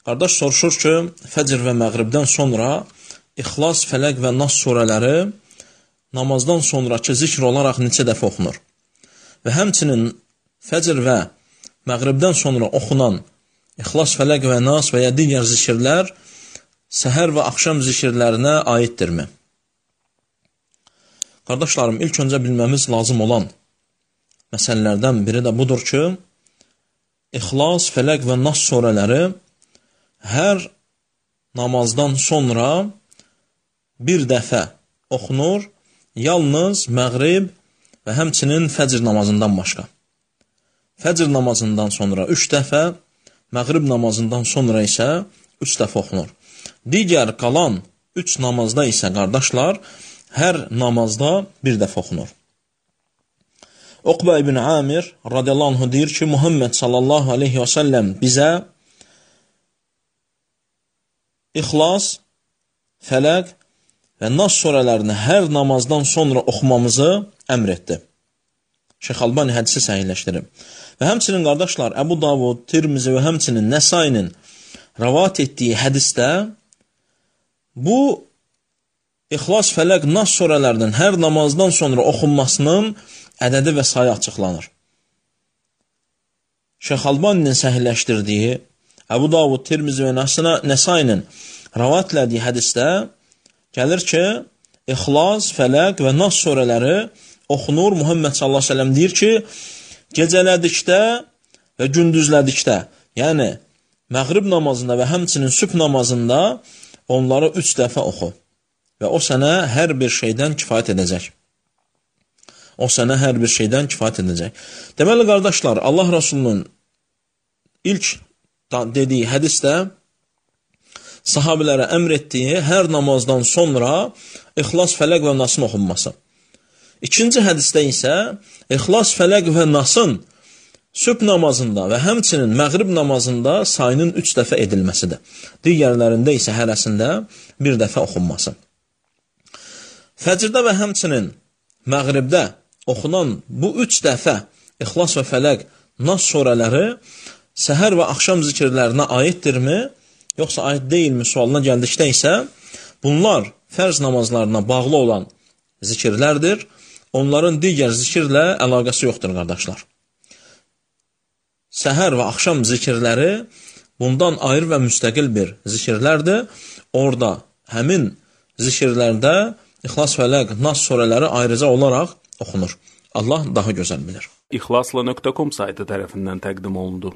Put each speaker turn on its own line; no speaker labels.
Qardaş soruşur ki, fəcr və məğribdən sonra İxlas, Fələq və Nas surələri namazdan sonraki zikr olaraq neçə dəfə oxunur? Və həmçinin fəcr və məğribdən sonra oxunan İxlas, Fələq və Nas və ya digər zikirlər səhər və axşam zikirlərinə aiddirmi? Qardaşlarım, ilk öncə bilməmiz lazım olan məsələlərdən biri də budur ki, İxlas, Fələq və Nas surələri hər namazdan sonra bir dəfə oxunur, yalnız məğrib və həmçinin fəcr namazından başqa. Fəcr namazından sonra 3 dəfə, məğrib namazından sonra isə 3 dəfə oxunur. Digər qalan 3 namazda isə, qardaşlar, hər namazda bir dəfə oxunur. Uqbə ibn Amir radiyallahu anh deyir ki, Muhammed sallallahu aleyhi və səlləm bizə İxlas, Fələq və Nas surələrini hər namazdan sonra oxumamızı əmr etdi. Şeyx Albani hədisi səhihləşdirib. Və həmçinin, qardaşlar, Əbu Davud, Tirmizi və həmçinin Nəsainin rəvat etdiyi hədisdə bu İxlas, Fələq, Nas surələrinin hər namazdan sonra oxunmasının ədədi və sayı açıqlanır. Şeyx Albaninin səhihləşdirdiyi Əbu Davud, Tirmizi və Nəsainin rəvat etdiyi hədisdə gəlir ki, İxlas, Fələq və Nas surələri oxunur. Muhammed sallallahu aleyhi ve sellem deyir ki, gecələdikdə və gündüzlədikdə, yəni məğrib namazında və həmçinin sübh namazında onları 3 dəfə oxu və o sənə hər bir şeydən kifayət edəcək. O sənə hər bir şeydən kifayət edəcək. Deməli, qardaşlar, Allah Rasulunun ilk dediyi hədisdə sahabilərə əmr etdiyi hər namazdan sonra İxlas, Fələq və Nasın oxunması. İkinci hədisdə isə İxlas, Fələq və Nasın sübh namazında və həmçinin məğrib namazında sayının 3 dəfə edilməsidir. Digərlərində isə hərəsində bir dəfə oxunması. Fəcrdə və həmçinin məğribdə oxunan bu 3 dəfə İxlas və Fələq, Nas surələri səhər və axşam zikirlərinə aiddirmi, yoxsa aid deyilmi sualına gəldikdə isə bunlar fərz namazlarına bağlı olan zikirlərdir. Onların digər zikirlə əlaqəsi yoxdur, qardaşlar. Səhər və axşam zikirləri bundan ayrı və müstəqil bir zikirlərdir. Orada həmin zikirlərdə İxlas, Fələq, Nas surələri ayrıca olaraq oxunur. Allah daha gözəl bilir.
İxlasla.com saytı tərəfindən təqdim olundu.